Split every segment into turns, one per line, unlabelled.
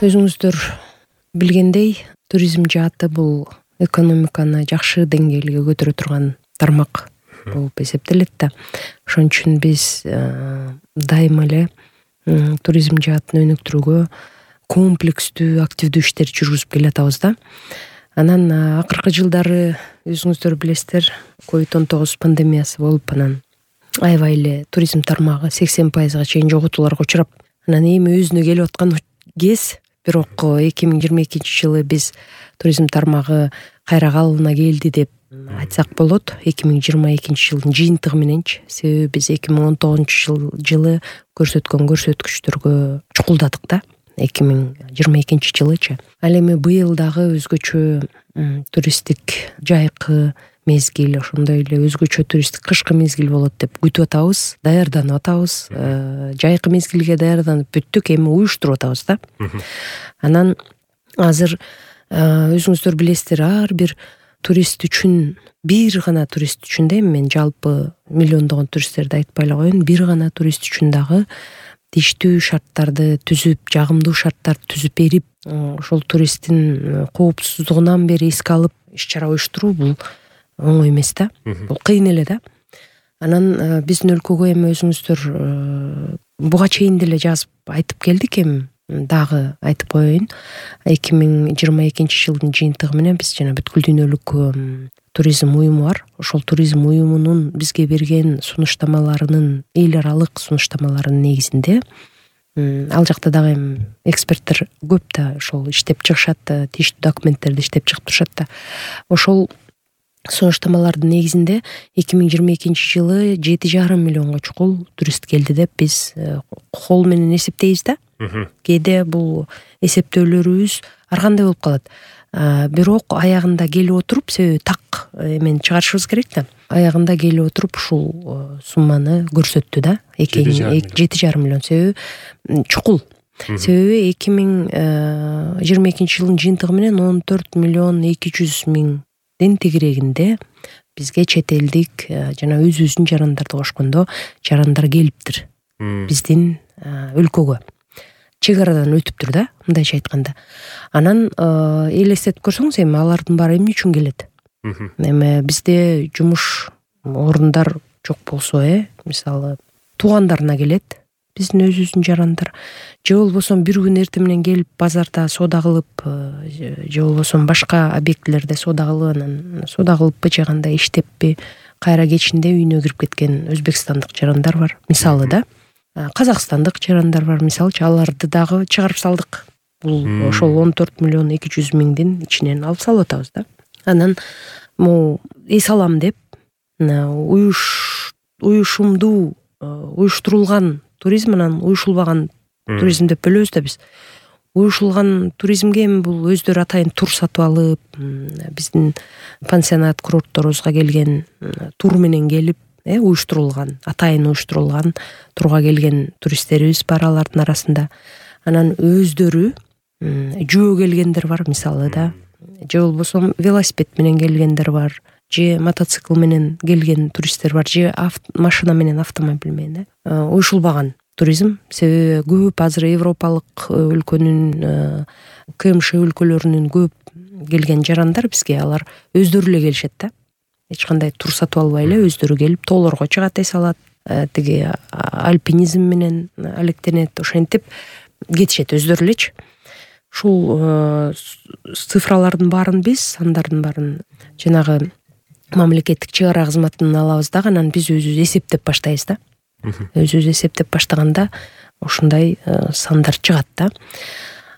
Өзүңүздөр билгендей, туризм жааты бул экономиканы жакшы деңгээлге көтөрө турган тармак болуп эсептелет да. Ошон үчүн биз дайыма эле туризм жаатын өнүктүрүүгө комплекстүү, активдүү иштер жүргүзүп келатабыз да. Анан акыркы жылдары өзүңүздөр билесиздер, COVID-19 пандемиясы болуп, анан аябай эле туризм тармагы 80%га чейин жоготууларга учурап, анан эми өзүнө келип аткан кез. Бирок 2022 жылы биз туризм тармагы кайра калыбына келди деп айтсак болот. 2022 жылдын жыйынтыгы мененчи. Себеби биз 2019 жылы көрсөткөн көрсөткүчтөргө чукулдадык да. 2022 жылычы. Ал эми быйыл дагы өзгөчө туристтик жайкы мезгил, ошондой эле өзгөчө туристтик кышкы мезгил болот деп күтүп атабыз, даярданып атабыз. Жайкы мезгилге даярданып бүттүк, эми уюштуруп атабыз да. Анан азыр өзүңүздөр билесиздер, ар бир турист үчүн, бир гана турист үчүн да, мен жалпы миллиондогон туристтерди айтпай эле коеюн, бир гана турист үчүн дагы тийиштүү шарттарды түзүп, жагымдуу шарттарды түзүп берип, ошол туристтин коопсуздугунан бери эске алып иш-чара уюштуруу бул оңой эмес да. Бул кыйын эле да. Анан биздин өлкөгө эми өзүңүздөр буга чейин деле жазып айтып келдик, эми дагы айтып коеюн. 2022 жылдын жыйынтыгы менен биз жана бүткүл дүйнөлүк туризм уюму бар. Ошол туризм уюмунун бизге берген сунуштамаларынын, эл аралык сунуштамаларынын негизинде ал жакта дагы эми эксперттер көп да, ошол иштеп чыгышат, тийиштүү документтерди иштеп чыгып турушат да. Ошол сунуштамалардын негизинде 2022 жылы 7,5 миллионго чукул турист келди деп биз кол менен эсептейбиз да. Кээде бул эсептөөлөрүбүз ар кандай болуп калат. Бирок аягында келип отуруп, себеби так эмени чыгарышыбыз керек да. Аягында келип отуруп ушул сумманы көрсөттү да. 7,5 миллион. Себеби чукул. Себеби 2022 жылдын жыйынтыгы менен 14 миллион 200 миңдин тегерегинде бизге чет элдик жана өзүбүздүн жарандарды кошкондо жарандар келиптир биздин өлкөгө. Чек арадан өтүптүр да, мындайча айтканда. Анан элестетип көрсөңүз, эми алардын баары эмне үчүн келет? Эми бизде жумуш орундар жок болсо, мисалы туугандарына келет, биздин өзүбүздүн жарандар. Же болбосо бир күн эртең менен келип базарда соода кылып, же болбосо башка объектилерде соода кылып, анан соода кылыппы, же кандай иштеппи, кайра кечинде үйүнө кирип кеткен өзбекстандык жарандар бар, мисалы да. Казакстандык жарандар бар, мисалчы, аларды дагы чыгарып салдык. Бул ошол 14 миллион 200 миңдин ичинен алып салып атабыз да. Анан могу эс алам деп уюшумдуу уюштурулган туризм менен уюшулбаган туризм деп бөлөбүз да биз. Уюшулган туризмге эми бул өздөрү атайын тур сатып алып, биздин пансионат курортторубузга келген тур менен келип, уюштурулган, атайын уюштурулган турга келген туристтерибиз бар алардын арасында. Анан өздөрү жөө келгендер бар, мисалы да. Же болбосо велосипед менен келгендер бар, же мотоцикл менен келген туристтер бар, же машина менен, автомобиль менен. Уюшулбаган туризм, себеби көп азыр европалык өлкөнүн, КМШ өлкөлөрүнүн көп келген жарандар бизге, алар өздөрү эле келишет да. Эч кандай тур сатып албай эле өздөрү келип тоолорго чыгат, эс алат, тиги альпинизм менен алектенет, ошентип кетишет өздөрү элечи. Ушул цифралардын баарын биз, сандардын баарын жанагы мамлекеттик чек ара кызматынан алабыз дагы, анан биз өзүбүз эсептеп баштайбыз да. Өзүбүз эсептеп баштаганда ушундай сандар чыгат да.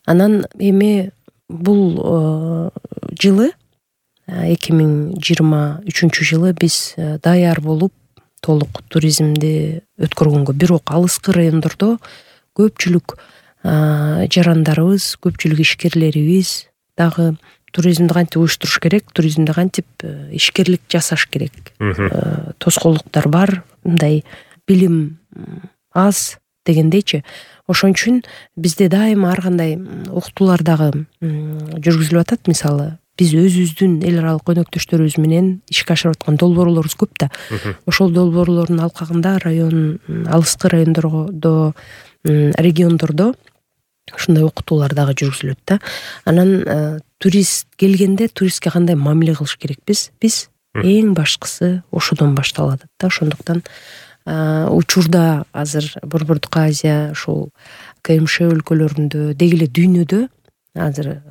Анан эми бул жылы 2023 жылы биз даяр болуп толук туризмди өткөргөнгө, бирок алыскы райондордо көпчүлүк жарандарыбыз, көпчүлүк ишкерлерибиз дагы туризмди кантип уюштуруш керек, туризмди кантип ишкерлик жасаш керек. Тоскоолдуктар бар, мындай билим аз дегендейчи. Ошон үчүн бизде дайыма ар кандай окутуулар дагы жүргүзүлүп атат. Мисалы, биз өзүбүздүн эл аралык өнөктөштөрүбүз менен ишке ашырып аткан долбоорлорубуз көп да. Ошол долбоорлордун алкагында район, алыскы райондордо, региондордо ушундай окутуулар дагы жүргүзүлөт да. Анан турист келгенде туристке кандай мамиле кылыш керекпиз? Биз эң башкысы ошодон башталат да. Ошондуктан учурда азыр Борбордук Азия ушул КМШ өлкөлөрүндө деги эле дүйнөдө азыр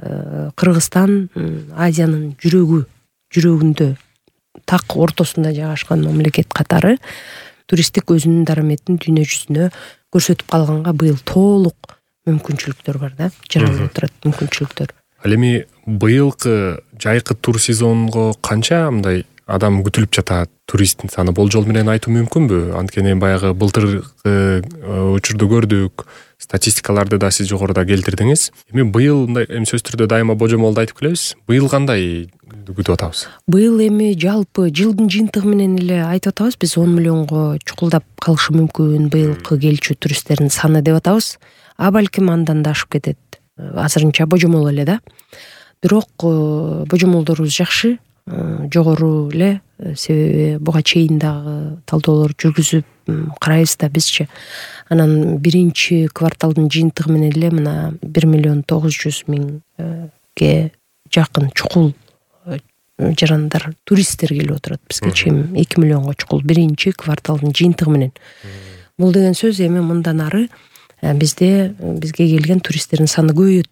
Кыргызстан Азиянын жүрөгүндө так ортосунда жайгашкан мамлекет катары туристтик өзүнүн дараметин дүйнө жүзүнө көрсөтүп калганга быйыл толук мүмкүнчүлүктөр бар да, жаралып турат мүмкүнчүлүктөр.
Ал эми быйылкы жайкы тур сезонго канча мындай адам күтүлүп жатат? Туристтин саны болжол менен айтуу мүмкүнбү? Анткени баягы былтыркы учурду көрдүк, статистикаларды да сиз жогоруда келтирдиңиз. Эми быйыл мындай сөзсүз түрдө дайыма божомолду айтып келебиз. Быйыл кандай күтүп атабыз?
Быйыл эми жалпы жылдын жыйынтыгы менен эле айтып атабыз. Биз 10 миллионго чукулдап калышы мүмкүн быйылкы келчү туристтердин саны деп атабыз. А балким андан да ашып кетет. Азырынча божомол эле да. Бирок божомолдорубуз жакшы, жогору эле, себеби буга чейин дагы талдоолор жүргүзүп карайбыз да бизчи. Анан биринчи кварталдын жыйынтыгы менен эле мына 1,900,000ге жакын чукул жарандар, туристтер келип отурат бизге. Чейин 2 миллионго чукул биринчи кварталдын жыйынтыгы менен. Бул деген сөз эми мындан ары бизге келген туристтердин саны көбөйөт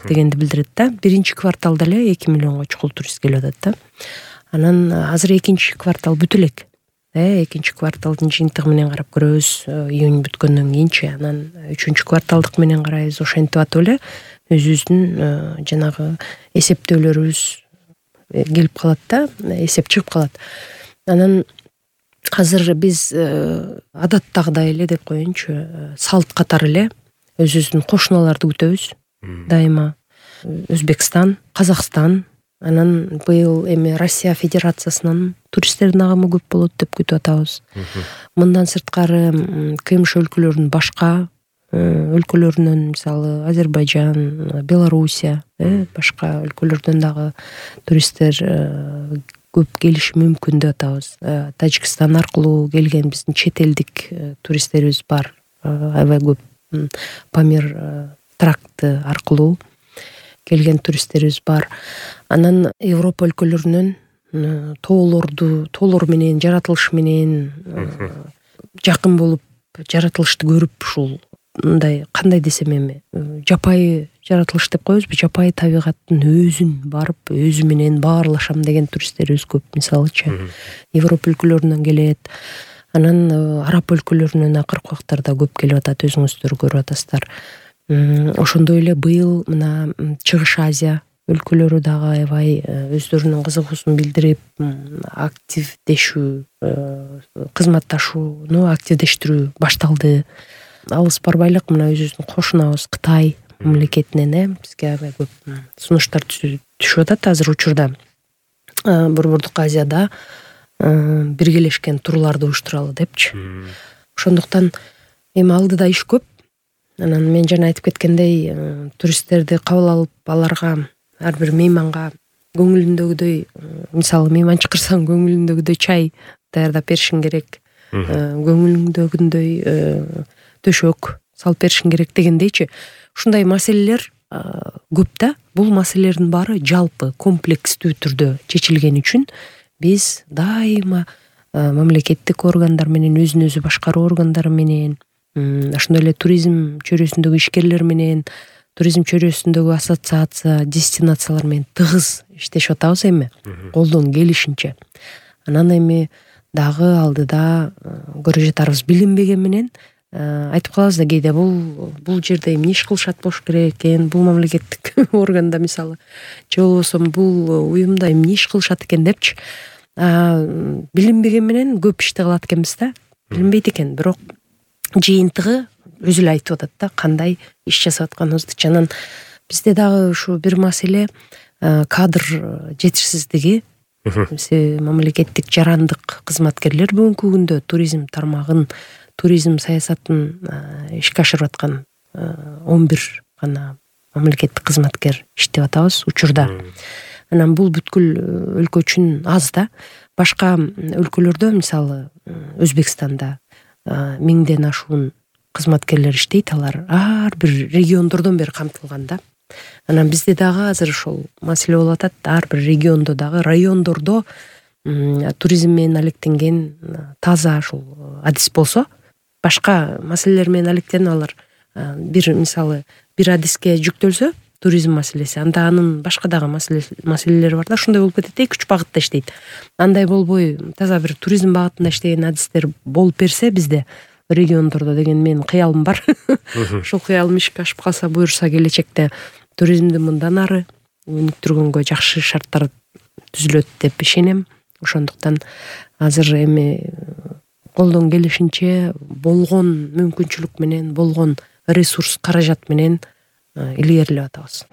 дегенди билдирет да. Биринчи кварталда эле 2 миллионго чукул турист келип атат да. Анан азыр экинчи квартал бүтө элек. Экинчи кварталдын жыйынтыгы менен карап көрөбүз, июнь бүткөндөн кийинчи. Анан үчүнчү кварталдык менен карайбыз. Ошентип атып эле өзүбүздүн жанагы эсептөөлөрүбүз келип калат да, эсеп чыгып калат. Анан азыр биз адаттагыдай эле деп коеюнчу, салт катары эле өзүбүздүн кошуналарды күтөбүз. Дайыма Өзбекстан, Казакстан, анан быйыл эми Россия Федерациясынан туристтердин агымы көп болот деп күтүп атабыз. Мындан сырткары КМШ өлкөлөрүнүн башка өлкөлөрүнөн, мисалы Азербайжан, Белоруссия, башка өлкөлөрдөн дагы туристтер көп келиши мүмкүн деп атабыз. Тажикстан аркылуу келген биздин чет элдик туристтерибиз бар. Аябай көп Памир тракты аркылуу келген туристтерибиз бар. Анан Европа өлкөлөрүнөн тоолор менен, жаратылыш менен жакын болуп, жаратылышты көрүп, ушул мындай кандай десем эми, жапайы жаратылыш деп коебузбу, жапайы табигаттын өзүн барып, өзү менен баарлашам деген туристтерибиз көп, мисалычы. Европа өлкөлөрүнөн келет. Анан араб өлкөлөрүнөн акыркы убактарда көп келип атат, өзүңүздөр көрүп атасыздар. Ошондой эле быйыл мына Чыгыш Азия өлкөлөрү дагы аябай өздөрүнүн кызыгуусун билдирип, активдешүү, кызматташууну активдештирүү башталды. Алыс барбайлык мына өзүбүздүн кошунабыз Кытай мамлекетинен бизге аябай көп сунуштар түшүп атат азыр учурда. Борбордук Азияда биргелешкен турларды уюштуралы депчи. Ошондуктан эми алдыда иш көп. Анан мен жана айтып кеткендей, туристтерди кабыл алып, аларга ар бир мейманга көңүлүндөгүдөй, мисалы мейман чакырсаң көңүлүндөгүдөй чай даярдап беришиң керек. Көңүлүңдөгүндөй төшөк салып беришиң керек дегендейчи. Ушундай маселелер көп да. Бул маселелердин баары жалпы комплекстүү түрдө чечилгени үчүн биз дайыма мамлекеттик органдар менен, өзүн өзү башкаруу органдары менен, ошондой эле туризм чөйрөсүндөгү ишкерлер менен, туризм чөйрөсүндөгү ассоциация, дестинациялар менен тыгыз иштешип атабыз эми, колдон келишинче. Анан эми дагы алдыда көрө жатарбыз. Билинбеген менен айтып калабыз да кээде бул жерде эмне иш кылышат болуш керек экен, бул мамлекеттик органда мисалы, же болбосо бул уюмда эмне иш кылышат экен депчи. Билинбеген менен көп ишти кылат экенбиз да. Билинбейт экен, бирок жыйынтыгы өзү эле айтып атат да, кандай иш жасап атканыбызды. Анан бизде дагы ушу бир маселе кадр жетишсиздиги. Мамлекеттик жарандык кызматкерлер бүгүнкү күндө туризм тармагын, туризм саясатын ишке ашырып аткан 11 гана мамлекеттик кызматкер иштеп атабыз учурда. Анан бул бүткүл өлкө үчүн аз да. Башка өлкөлөрдө, мисалы Өзбекстанда 1000ден ашуун кызматкерлер иштейт, алар ар бир региондордон бери камтылган да. Анан бизде дагы азыр ошол маселе болуп атат. Ар бир региондо дагы, райондордо туризм менен алектенген таза ушул адис болсо, башка маселелер менен алектенip алар бир мисалы бир адиске жүктөлсө, туризм маселеси, анда анын башка дагы маселелери бар да, ушундай болуп кетет. 2-3 багытта иштейт. Андай болбой, таза бир туризм багытында иштеген адистер болуп берсе бизде региондордо деген менин кыялым бар. Ушул кыялым ишке ашып калса, буюрса келечекте туризмди мындан ары өнүктүргөнгө жакшы шарттар түзүлөт деп ишенем. Ошондуктан азыр эми колдон келишинче болгон мүмкүнчүлүк менен, болгон ресурс, каражат менен илгерилеп атабыз.